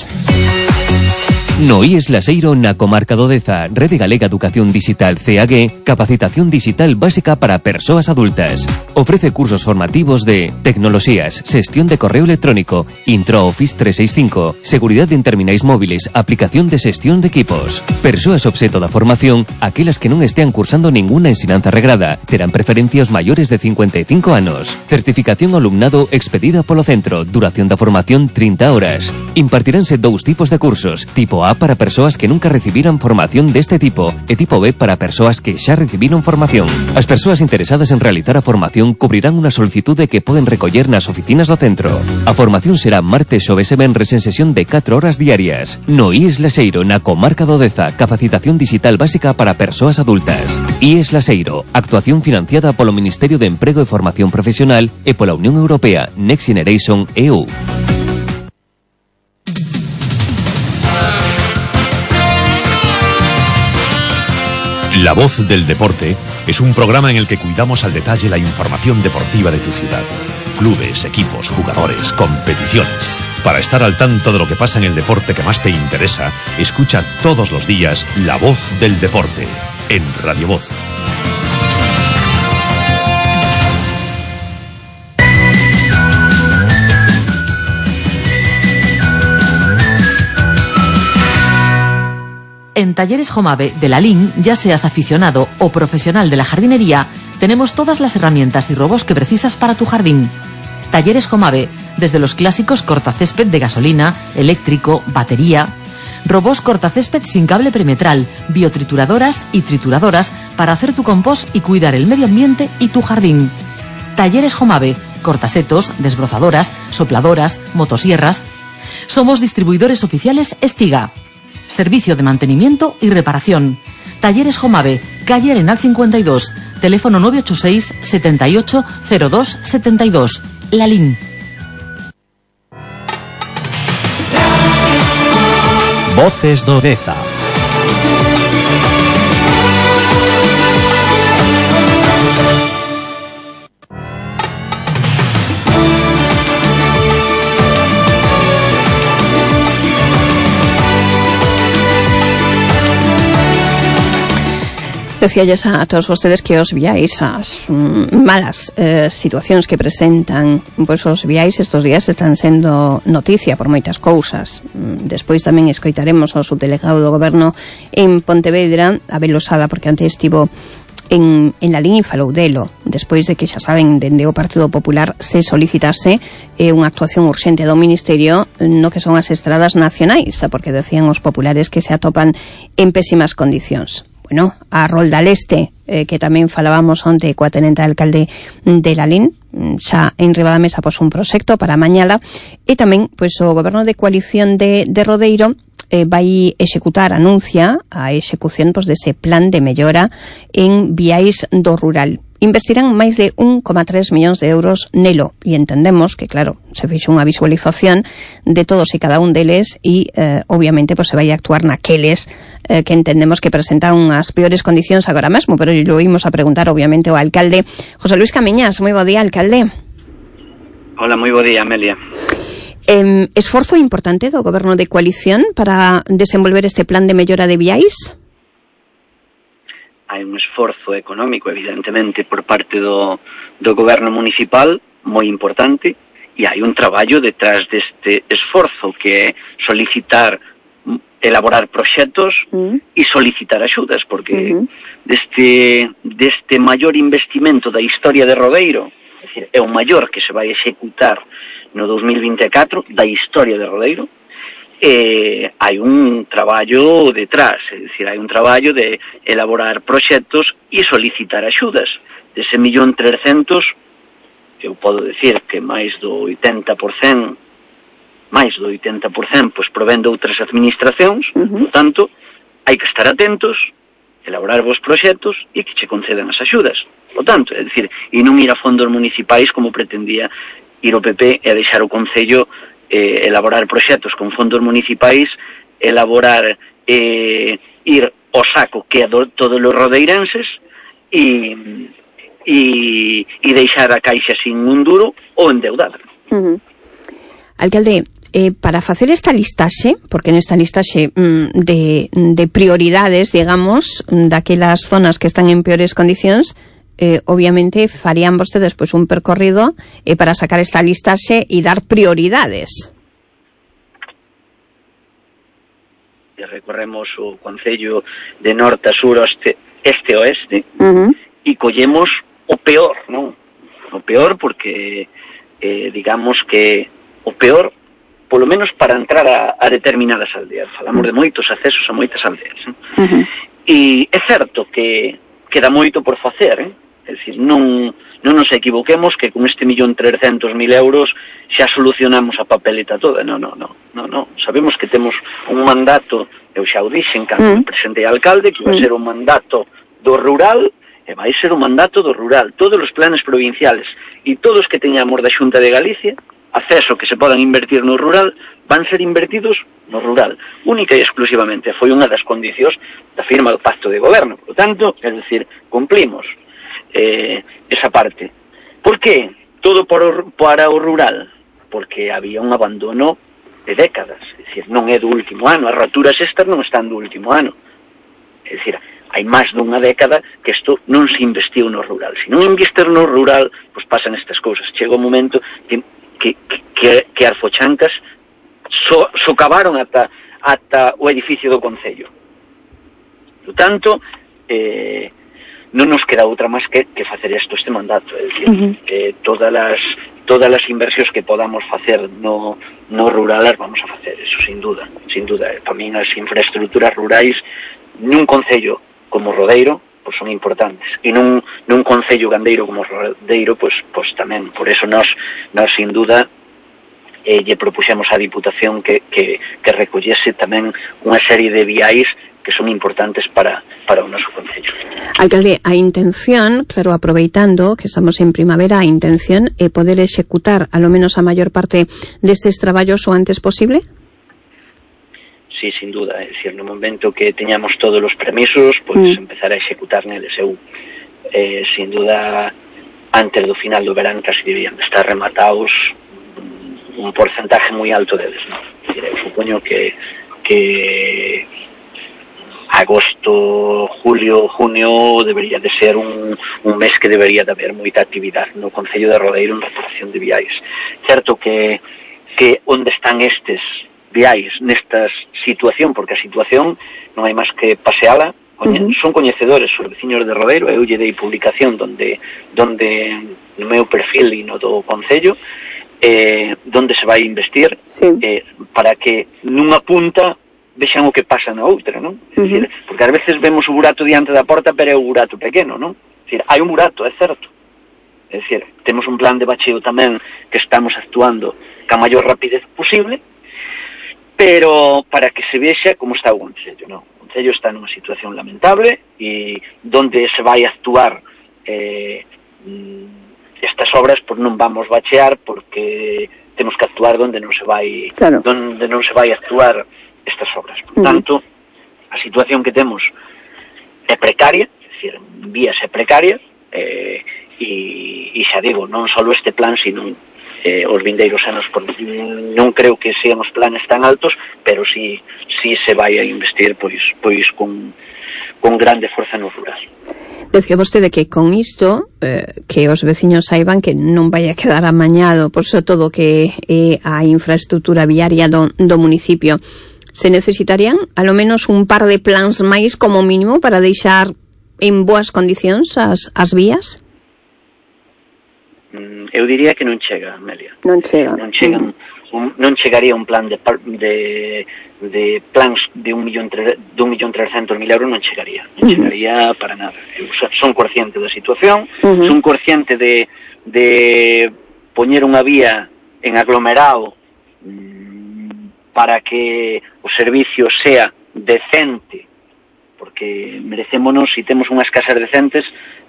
No IES Laseiro na comarca do Deza, Rede Galega Educación Digital CAG, capacitación digital básica para persoas adultas. Ofrece cursos formativos de tecnoloxías, xestión de correo electrónico, Intro Office 365, seguridade en terminais móviles, aplicación de xestión de equipos. Persoas obxeto da formación, aquelas que non estean cursando ninguna ensinanza regrada, terán preferencia os maiores de 55 anos. Certificación ao alumnado expedida polo centro, duración da formación 30 horas. Impartiránse 2 tipos de cursos, tipo A para persoas que nunca recibiran formación deste tipo e tipo B para persoas que xa recibiron formación. As persoas interesadas en realizar a formación cubrirán unha solicitude que poden recoller nas oficinas do centro. A formación será martes, xoves e venres en sesión de 4 horas diarias. No IES Laseiro, na comarca do Deza, capacitación digital básica para persoas adultas. IES Laseiro, actuación financiada polo Ministerio de Emprego e Formación Profesional e pola Unión Europea Next Generation EU. La Voz del Deporte es un programa en el que cuidamos al detalle la información deportiva de tu ciudad. Clubes, equipos, jugadores, competiciones. Para estar al tanto de lo que pasa en el deporte que más te interesa, escucha todos los días La Voz del Deporte en Radio Voz. En Talleres Jomave de la LIN, ya seas aficionado o profesional de la jardinería, tenemos todas las herramientas y robos que precisas para tu jardín. Talleres Jomave, desde los clásicos cortacésped de gasolina, eléctrico, batería, robos cortacésped sin cable perimetral, biotrituradoras y trituradoras para hacer tu compost y cuidar el medio ambiente y tu jardín. Talleres Jomave, cortasetos, desbrozadoras, sopladoras, motosierras. Somos distribuidores oficiales Estiga. Servicio de mantenimiento y reparación. Talleres Jomave, calle Arenal 52, teléfono 986 78 02 72. La LIN. Voces do Deza. Decíalles a todos vostedes que os viáis as malas situacións que presentan, pois os viáis estes días están sendo noticia por moitas cousas. Despois tamén escoitaremos ao subdelegado do Goberno en Pontevedra, Abel Losada, porque antes estivo en la Lalín e falou delo, despois de que xa saben, dende o Partido Popular se solicitase unha actuación urxente do Ministerio no que son as estradas nacionais, porque decían os populares que se atopan en pésimas condicións. Bueno, a Rolda Leste, que tamén falábamos onte coa tenente alcalde de Lalín, xa en riba da mesa pois un proxecto para mañala, e tamén pois o Goberno de Coalición de Rodeiro vai executar, anuncia a execución pois dese plan de mellora en viais do rural. Investirán máis de 1,3 millóns de euros nelo, e entendemos que, claro, se fixo unha visualización de todos e cada un deles e, obviamente, pues, se vai a actuar naqueles que entendemos que presentan unhas peores condicións agora mesmo, pero lo imos a preguntar, obviamente, ao alcalde José Luis Camiñas. Moi bo día, alcalde. Hola, moi bo día, Amelia. Esforzo importante do Goberno de Coalición para desenvolver este plan de mellora de viais? Hai un esforzo económico, evidentemente, por parte do Goberno municipal moi importante, e hai un traballo detrás deste esforzo que é solicitar, elaborar proxectos e solicitar axudas, porque deste maior investimento da historia de Rodeiro, é dicir, é o maior que se vai executar no 2024 da historia de Rodeiro, hai un traballo detrás, é dicir, hai un traballo de elaborar proxectos e solicitar axudas. Dese 1.300.000, eu podo decir que máis do 80%, pois provén de outras administracións, por tanto, hai que estar atentos, elaborar vos proxectos e que che concedan as axudas. Por tanto, é dicir, e non ir a fondos municipais como pretendía ir o PP e deixar o Concello elaborar proxectos con fondos municipais, elaborar ir ao saco que é todos os rodeirenses e deixar a Caixa sin un duro ou endeudada. Alcalde, para facer esta listaxe, porque nesta listaxe de prioridades, digamos, daquelas zonas que están en peores condicións, obviamente farían vostedes pois un percorrido para sacar esta listaxe e dar prioridades. E recorremos o Concello de norte a sur, este a oeste, e collemos o peor, non? O peor porque digamos que o peor, polo menos para entrar a determinadas aldeas. Falamos de moitos accesos a moitas aldeas. E é certo que queda moito por facer, É dicir, non nos equivoquemos que con este 1.300.000 euros xa solucionamos a papeleta toda. Non. Sabemos que temos un mandato, eu xa o dixen cando me presentei a alcalde, que vai ser un mandato do rural, e vai ser un mandato do rural. Todos os planes provinciales e todos que teñamos da Xunta de Galicia, acceso que se podan invertir no rural, van ser invertidos no rural, única e exclusivamente. Foi unha das condicións da firma do Pacto de Goberno. Por lo tanto, é dicir, cumplimos esa parte. Por que todo para o rural? Porque había un abandono de décadas, é dicir, non é do último ano, as roturas estas non están do último ano, é dicir, hai máis dunha década que isto non se investiu no rural. Se non investir no rural, pois pasan estas cousas. Chega un momento que as fochancas socavaron ata o edificio do Concello. Por tanto, non nos queda outra máis que facer este mandato, é dicir, todas as inversións que podamos facer no rural as vamos a facer, eso sin duda. Tamén as infraestructuras rurais nun concello como Rodeiro pois son importantes, e nun concello gandeiro como Rodeiro pois tamén. Por eso nós sin duda lle propuxemos á Diputación que recollese tamén unha serie de viais que son importantes para o noso concello. Alcalde, a intención, claro, aproveitando que estamos en primavera, a intención é poder executar a lo menos a maior parte destes traballos o antes posible? Sí, sin duda, é dicir, no momento que teñamos todos os permisos, pois empezar a executar neles. Eu, sin duda, antes do final do verán casi debían de estar rematados un porcentaje moi alto deles, non? Eu supoño que agosto, julio, junio debería de ser un mes que debería de haber moita actividade no Concello de Rodeiro en reparación de viais. Certo que onde están estes viais nesta situación, porque a situación non hai máis que paseala, son coñecedores os veciños de Rodeiro, eu lle dei publicación donde no meu perfil e no do Concello, donde se vai investir, para que nunha punta vexan o que pasa na outra, non? Decir, porque ás veces vemos o burato diante da porta, pero é o burato pequeno, non? Decir, hai un burato, é certo. É dicir, temos un plan de bacheo tamén que estamos actuando ca maior rapidez posible, pero para que se vexa como está o Concello, non? O Concello está nunha situación lamentable e donde se vai actuar estas obras, pois non vamos bachear porque temos que actuar donde non se vai actuar estas obras. Por tanto, a situación que temos é precaria, é dicir, vías é precaria, e xa digo, non só este plan, sino os vindeiros anos, non creo que sean os planes tan altos, pero si se vai a investir pois con grande forza no rural. Decía vostede que con isto que os veciños saiban que non vai a quedar amañado por sobre todo que a infraestructura viaria do municipio. Se necesitarían alo menos un par de plans máis como mínimo para deixar en boas condicións as vías? Eu diría que non chega, Amelia. Non chega. Non chegaría un plan de plans de 1.300.000 euros, non chegaría. Non chegaría para nada. Eu son consciente da situación, son consciente de poñer unha vía en aglomerado para que o servicio sea decente, porque merecémonos, se temos unhas casas decentes,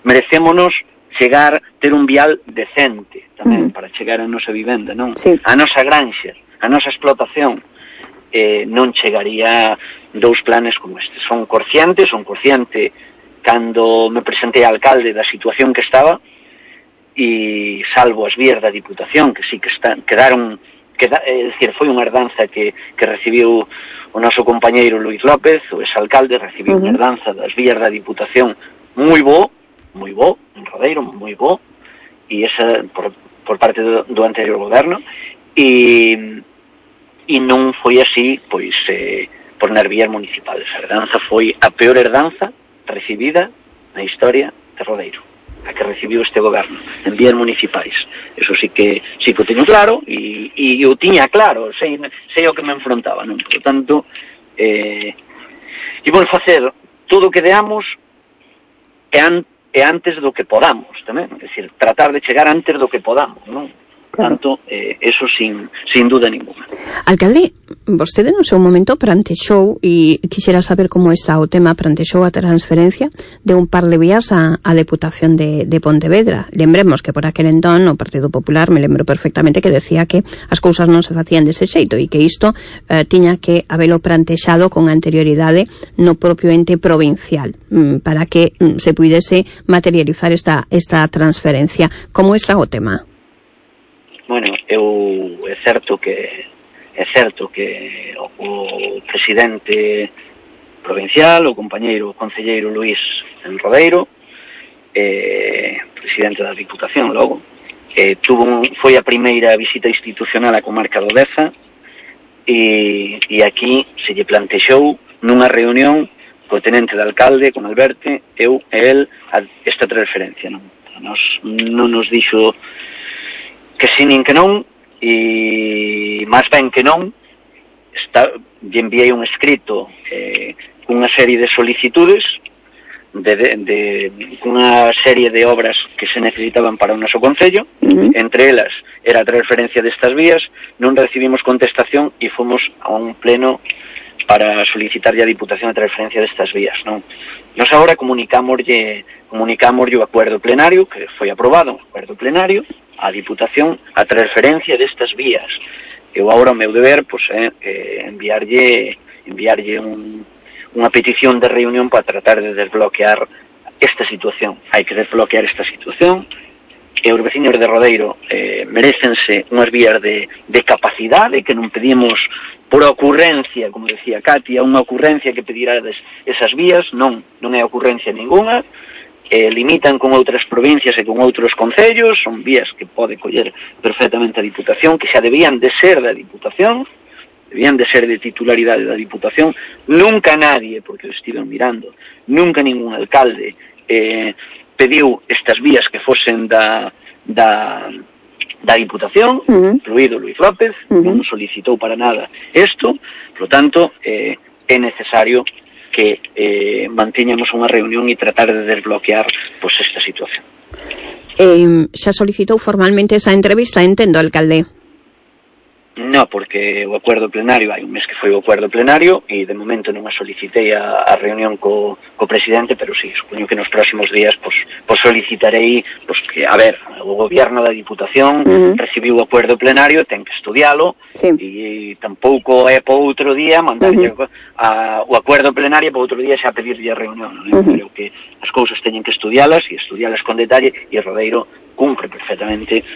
merecémonos ter un vial decente tamén para chegar a nosa vivenda, non? Sí. A nosa granxa, a nosa explotación, non chegaría dous planes como este. Son consciente cando me presentei a alcalde da situación que estaba, e salvo as vías da Diputación, que sí que quedaron, é dicir, foi unha herdanza que recibiu o noso compañeiro Luís López, o exalcalde, recibiu unha herdanza das vías da Diputación moi bo, en Rodeiro, moi bo, e esa por parte do anterior goberno, e non foi así, pois, por nas vías municipales. A herdanza foi a peor herdanza recibida na historia de Rodeiro, a que recibiu este goberno, en vías municipais. Eso sí que o teño claro, e o tiña claro, sei o que me enfrontaba, non? Por tanto, vamos facer todo o que deamos e antes do que podamos, tamén, é dicir, tratar de chegar antes do que podamos, non? Tanto, eso sin duda ninguna. Alcalde, vostede no seu momento plantexou, e quixera saber como está o tema, plantexou a transferencia de un par de vías a Deputación de Pontevedra. Lembremos que por aquel entón o Partido Popular, me lembro perfectamente que decía que as cousas non se facían dese xeito e que isto tiña que habelo plantexado con anterioridade no propio ente provincial para que se puidese materializar esta transferencia. Como está o tema? Bueno, é certo que o presidente provincial, o compañeiro concelleiro Luís en Rodeiro, presidente da Diputación logo, foi a primeira visita institucional á comarca do Deza, e aquí se lle plantexou nunha reunión co tenente de alcalde, con Alberto, eu e el, esta transferencia. Non nos dixo que si nin que non, e máis ben que non, lle enviei un escrito cunha serie de solicitudes, cunha serie de obras que se necesitaban para o noso concello, entre elas era a transferencia destas vías, non recibimos contestación e fomos a un pleno para solicitarlle a Diputación a transferencia destas vías, non? Nos agora comunicámoslle o acuerdo plenario, que foi aprobado, o acuerdo plenario, a Diputación a transferencia destas vías. Eu agora o meu deber é enviarlle unha petición de reunión para tratar de desbloquear esta situación. Hai que desbloquear esta situación, e os veciños de Rodeiro merecense unhas vías de capacidade, que non pedimos por ocurrencia, como decía Katia, unha ocurrencia que pedirades esas vías, non é ocurrencia ninguna, limitan con outras provincias e con outros concellos, son vías que pode coller perfectamente a Diputación, que xa debían de ser da Diputación, debían de ser de titularidade da Diputación. Nunca nadie, porque o estiven mirando, nunca ningún alcalde pediu estas vías que fosen da Diputación, incluído Luís López, non solicitou para nada isto, por lo tanto, é necesario que manteñamos unha reunión e tratar de desbloquear pois esta situación. Xa solicitou formalmente esa entrevista, entendo, alcalde? No, porque o acordo plenario, hai un mes que foi o acordo plenario e de momento non a solicitei a reunión co presidente, pero sí, supoño que nos próximos días pues solicitarei que, a ver, o gobierno da Diputación recibiu o acordo plenario, ten que estudialo e tampouco é para outro día mandarlle o acordo plenario para outro día xa pedirlle a reunión, non? Creo que as cousas teñen que estudialas e estudialas con detalle e Rodeiro cumpre perfectamente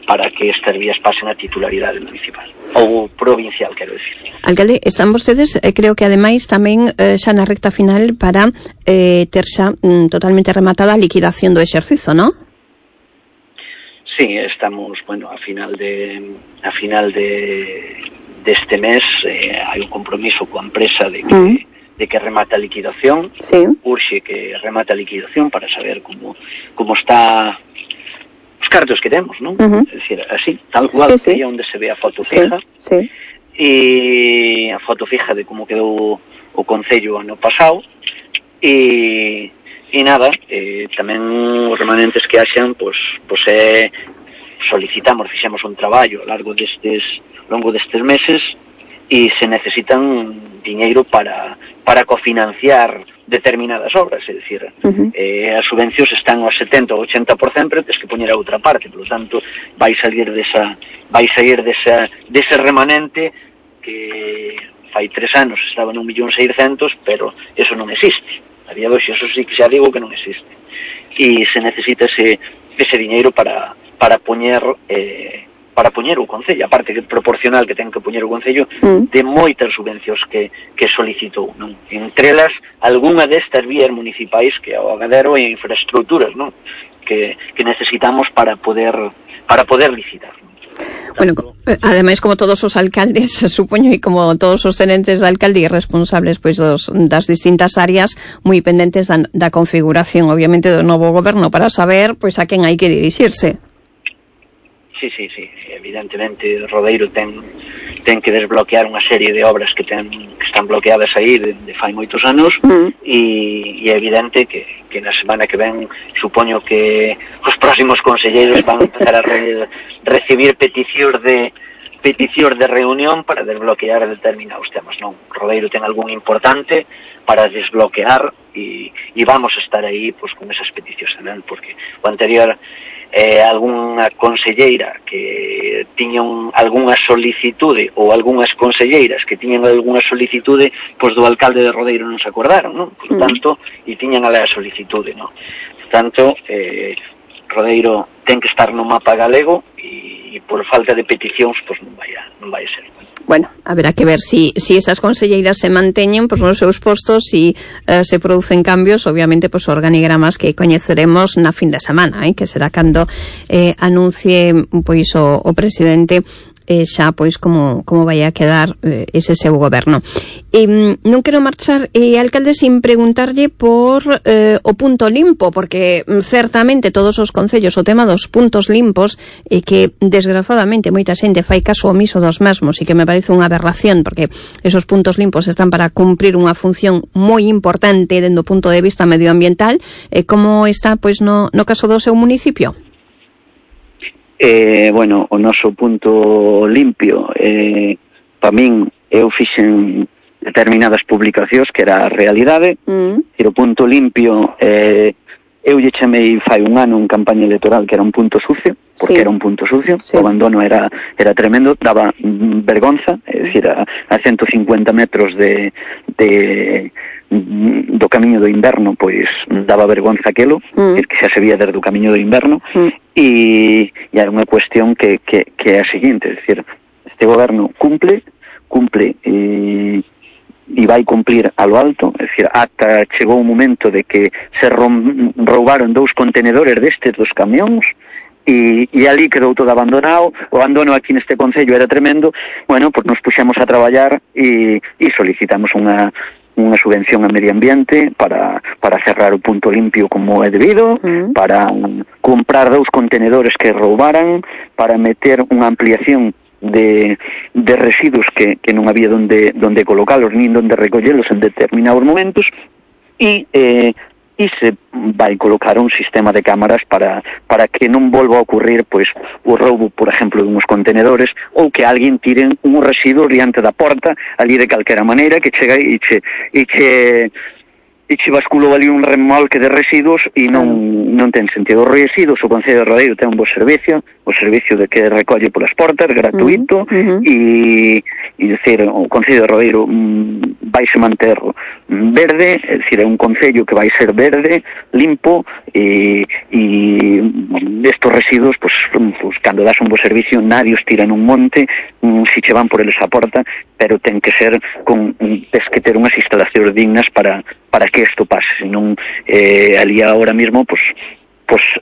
para que estas vías pasen a titularidade municipal ou provincial, quero dicir. Alcalde, están vostedes, creo que ademais tamén xa na recta final para ter xa totalmente rematada a liquidación do exercizo, non? Sí, estamos, a final deste mes hai un compromiso coa empresa de que remata a liquidación, urxe que remata a liquidación para saber como está os cartos que temos, non? É dicir, así, tal cual, que aí onde se ve a foto fija, e a foto fija de como quedou o Concello ano pasado, e nada, tamén os remanentes que haxan, fixemos un traballo ao longo destes meses, e se necesitan diñeiro para cofinanciar determinadas obras, é dicir, as subvencións están ao 70 ou 80%, pero tens que poñer a outra parte, por lo tanto, vai sair dese remanente que fai 3 anos estaba nun 1.600.000, pero eso non existe. A día de hoxe, eso sí que xa digo que non existe. E se necesita ese diñeiro para poñer o Concello, aparte que proporcional que ten que poñer o Concello de moitas subvencións que solicitou, non? Entre elas, algunha destas vías municipais que ao agadero e infraestructuras, non? Que necesitamos para poder licitar. Bueno, ademais, como todos os alcaldes, supoño, e como todos os tenentes de alcalde e responsables das distintas áreas, moi pendentes da configuración, obviamente, do novo goberno para saber a quen hai que dirixirse. Sí, evidentemente Rodeiro ten que desbloquear unha serie de obras que están bloqueadas aí de fai moitos anos e é evidente que na semana que ven supoño que os próximos conselleiros van a empezar a recibir peticións de reunión para desbloquear determinados temas, non? Rodeiro ten algún importante para desbloquear e vamos a estar aí con esas peticións tamén, porque o anterior algunha conselleira que tiñan algunha solicitude ou algunhas conselleiras que tiñan algunha solicitude do alcalde de Rodeiro non se acordaron, non? Por tanto, e tiñan a solicitude, non? Por tanto, Rodeiro ten que estar no mapa galego e por falta de peticións non vai a ser. Bueno, haberá que ver si esas conselleiras se manteñen nos seus postos e se producen cambios, obviamente organigramas que coñeceremos na fin de semana, que será cando anuncie o presidente xa como vai a quedar ese seu goberno. Non quero marchar, alcalde, sin preguntarlle por o punto limpo, porque certamente todos os concellos o tema dos puntos limpos que desgraciadamente moita xente fai caso omiso dos mesmos e que me parece unha aberración, porque esos puntos limpos están para cumprir unha función moi importante dende o punto de vista medioambiental. Como está no caso do seu municipio? O noso punto limpio, para min, eu fixen determinadas publicacións que era a realidade, e o punto limpio, eu lle chamei fai un ano en campaña electoral que era un punto sucio, porque era un punto sucio, o abandono era tremendo, daba vergonza, é dicir, a 150 metros do camiño do inverno, daba vergonza aquelo, que xa se vía desde o camiño do inverno, e era unha cuestión que é a seguinte, é dicir, este goberno cumple cumple e vai cumplir a lo alto, é dicir, ata chegou o momento de que se roubaron 2 contenedores destes dos camións e ali quedou todo abandonado. O abandono aquí neste concello era tremendo. Bueno, pues nos puxemos a traballar e solicitamos unha subvención a medio ambiente para cerrar o punto limpio como é debido, para comprar 2 contenedores que roubaran, para meter unha ampliación de residuos que non había donde colocalos nin donde recollelos en determinados momentos e se vai colocar un sistema de cámaras para que non volva a ocurrir pois o roubo, por exemplo, de uns contenedores ou que alguén tire un residuo diante da porta ali de calquera maneira que chega e che basculou ali un remolque de residuos e non ten sentido. Os residuos, o Concello de Rodeiro ten un bo servicio, o servicio de que recolle polas portas, gratuito, e dicir, o Concello de Rodeiro vaise manter verde, é dicir, é un concello que vai ser verde, limpo, e estes residuos, pues, cando das un bo servicio, nadie os tira nun monte, si che van por eles a porta, pero ten que ser tes que ter unhas instalacións dignas para que isto pase, senón ali agora mismo, pues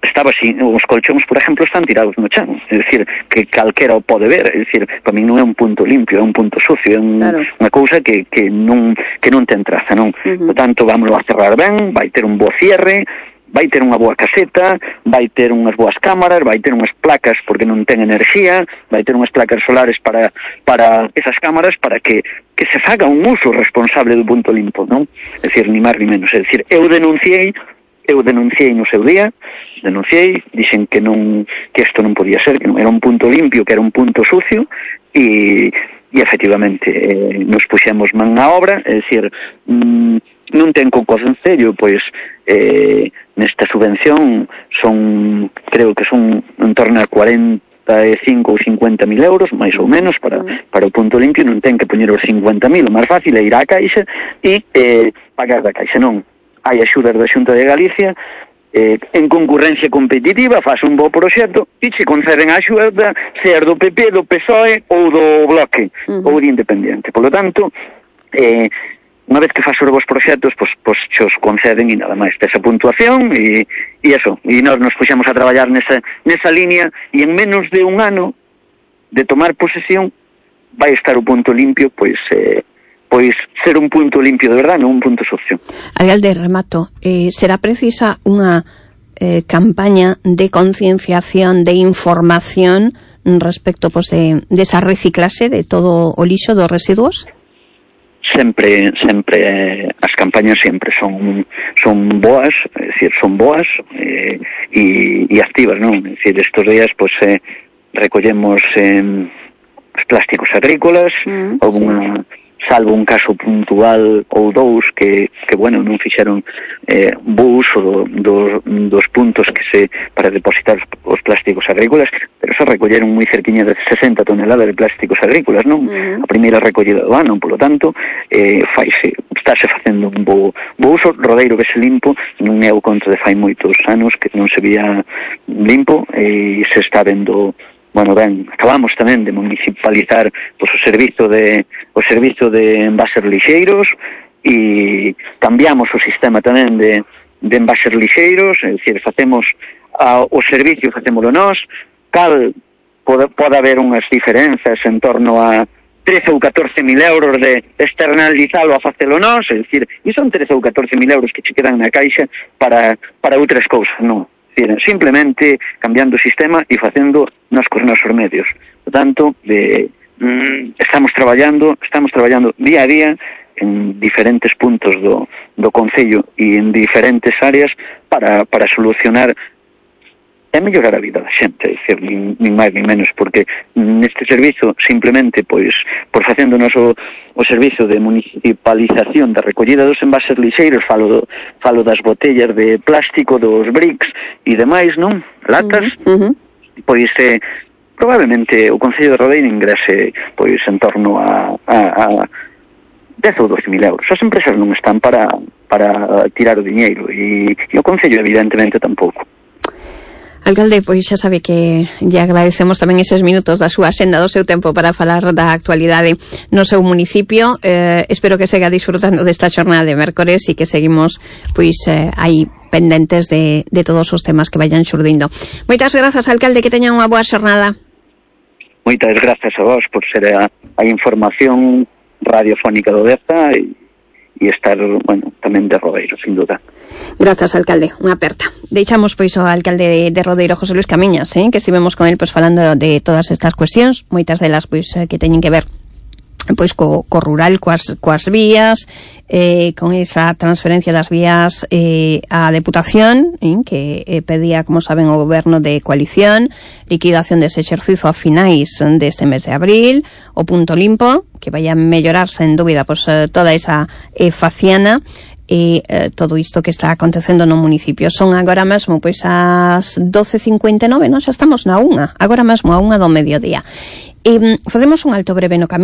estaba así, os colchóns, por exemplo, están tirados no chan, é dicir, que calquera o pode ver, é dicir, para mí non é un punto limpio, é un punto sucio, é unha cousa que non ten traza, non? Por tanto, vámonos a cerrar ben, vai ter un bo cierre, vai ter unha boa caseta, vai ter unhas boas cámaras, vai ter unhas placas porque non ten enerxía, vai ter unhas placas solares para esas cámaras para que se faga un uso responsable do punto limpo, non? É dicir, ni máis ni menos, é dicir, eu denunciei no seu día, dixen que isto non podía ser, que non era un punto limpio, que era un punto sucio, e efectivamente nos puxemos man na obra, é dicir, non ten co Concello, pois nesta subvención creo que son en torno a 45 ou 50.000 euros, máis ou menos, para o punto limpio. Non ten que poñer os 50.000, o máis fácil é ir á Caixa e pagar da Caixa. Non, hai axudas da Xunta de Galicia, en concurrencia competitiva, faz un bo proxecto e se conceden a axuda, ser do PP, do PSOE ou do Bloque, ou de Independiente. Por lo tanto, unha vez que faz os vos proxectos, pois xos conceden e nada máis desa puntuación e eso. E nós nos puxemos a traballar nesa línea e en menos de un ano de tomar posesión vai estar o punto limpio, pois ser un punto limpio de verdade, non un punto sucio. Alcalde, remato, será precisa unha campaña de concienciación, de información respecto pues, de esa reciclase de todo o lixo dos residuos? Sempre as campañas sempre son boas, é dicir, son boas e activas, non? É dicir, estos días pois recollemos os plásticos agrícolas, salvo un caso puntual ou 2 que bueno, non fixeron bo uso dos puntos para depositar os plásticos agrícolas, pero se recolleron moi cerquiña de 60 toneladas de plásticos agrícolas, non? A primeira recollida do ano, polo tanto, estáse facendo un bo uso. Rodeiro vese limpo, non é o conto de fai moitos anos que non se vía limpo e se está vendo. Bueno, ben, acabamos tamén de municipalizar pois, o servizo de envases lixeiros e cambiamos o sistema tamén de envases lixeiros, é dicir, facemos o servicio, facémolo nós, pode haber unhas diferenzas en torno a 13 ou 14.000 euros de externalizalo a facelo nós, é dicir, e son 13 ou 14.000 euros que che quedan na caixa para outras cousas, non? Simplemente cambiando o sistema e facendo nos cos nosos medios. Por tanto, estamos traballando día a día en diferentes puntos do concello e en diferentes áreas para solucionar e mellorar a vida da xente, é dicir, nin máis nin menos, porque neste servizo simplemente, pois, por facendo o noso servizo de municipalización da recollida dos envases lixeiros, falo das botellas de plástico, dos bricks e demais, non? Latas, pois probablemente o Concello de Rodeiro ingrese pois en torno a 10 ou 12.000 euros. As empresas non están para tirar o diñeiro e o Concello evidentemente tampouco. Alcalde, pois xa sabe que lle agradecemos tamén eses minutos da súa senda, do seu tempo para falar da actualidade no seu municipio. Espero que sega disfrutando desta xornada de mércores e que seguimos pois aí pendentes de todos os temas que vayan xurdindo. Moitas grazas, alcalde, que teñan unha boa xornada. Moitas grazas a vos por ser a información radiofónica do Deza e estar, bueno, tamén de Rodeiro, sin duda. Grazas, alcalde, unha aperta. Deixamos pois ao alcalde de Rodeiro, José Luis Camiñas, que estivemos con el pois falando de todas estas cuestións, moitas delas pois que teñen que ver pois co rural, coas vías, con esa transferencia das vías á Deputación, que pedía, como saben, o goberno de coalición, liquidación dese exercizo a finais deste mes de abril, o punto limpo, que vai a mellorar, sen dúbida, pois toda esa faciana, e todo isto que está acontecendo no municipio. Son agora mesmo pois as 12:59, non? Xa estamos na 1, agora mesmo a 1 do mediodía. Facemos un alto breve no camiño.